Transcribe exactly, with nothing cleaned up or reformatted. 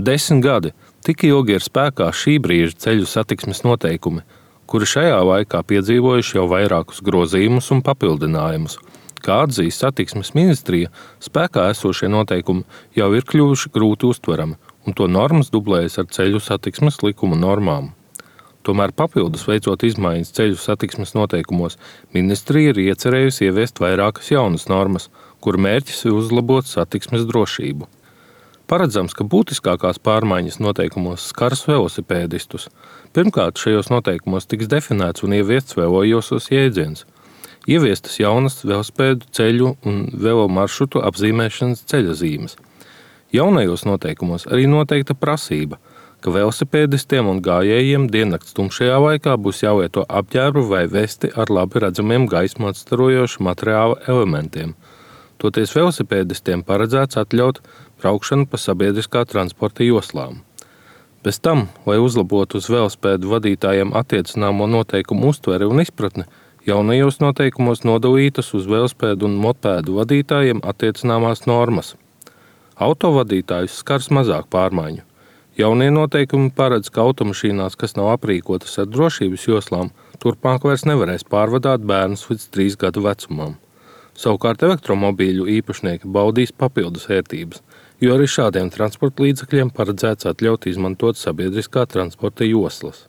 Desmit gadi tik ilgi ir spēkā šī brīža ceļu satiksmes noteikumi, kuri šajā laikā piedzīvojuši jau vairākus grozījumus un papildinājumus. Kā atzīst satiksmes ministrija, spēkā esošie noteikumi jau ir kļuvuši grūti uztverami, un to normas dublējas ar ceļu satiksmes likuma normām. Tomēr papildus veicot izmaiņas ceļu satiksmes noteikumos, ministrija ir iecerējusi ieviest vairākas jaunas normas, kuru mērķis ir uzlabot satiksmes drošību. Paredzams, ka būtiskākās pārmaiņas noteikumos skars velosipēdistus. Pirmkārt, šajos noteikumos tiks definēts un ieviests velojosos jēdziens. Ieviestas jaunas velosipēdu ceļu un velo maršrutu apzīmēšanas ceļazīmes. Jaunajos noteikumos arī noteikta prasība, ka velosipēdistiem un gājējiem diennakts tumšajā laikā būs jālieto apģērbu vai vesti ar labi redzamiem gaismu atstarojošu materiāla elementiem. Toties velosipēdistiem paredzēts atļaut braukšanu pa sabiedriskā transporta joslām. Bez tam, lai uzlabotu uz velosipēdu vadītājiem attiecināmo noteikumu uztveri un izpratni, jaunajos noteikumos nodalītas uz velosipēdu un mopēdu vadītājiem attiecināmās normas. Autovadītājus skars mazāk pārmaiņu. Jaunie noteikumi paredz, ka automašīnās, kas nav aprīkotas ar drošības joslām, turpmāk vairs nevarēs pārvadāt bērnus līdz trīs gadu vecumam. Savukārt elektromobīļu īpašnieki baudīs papildus vērtības, jo arī šādiem transporta līdzekļiem paredzēts atļaut izmantot sabiedriskā transporta joslas.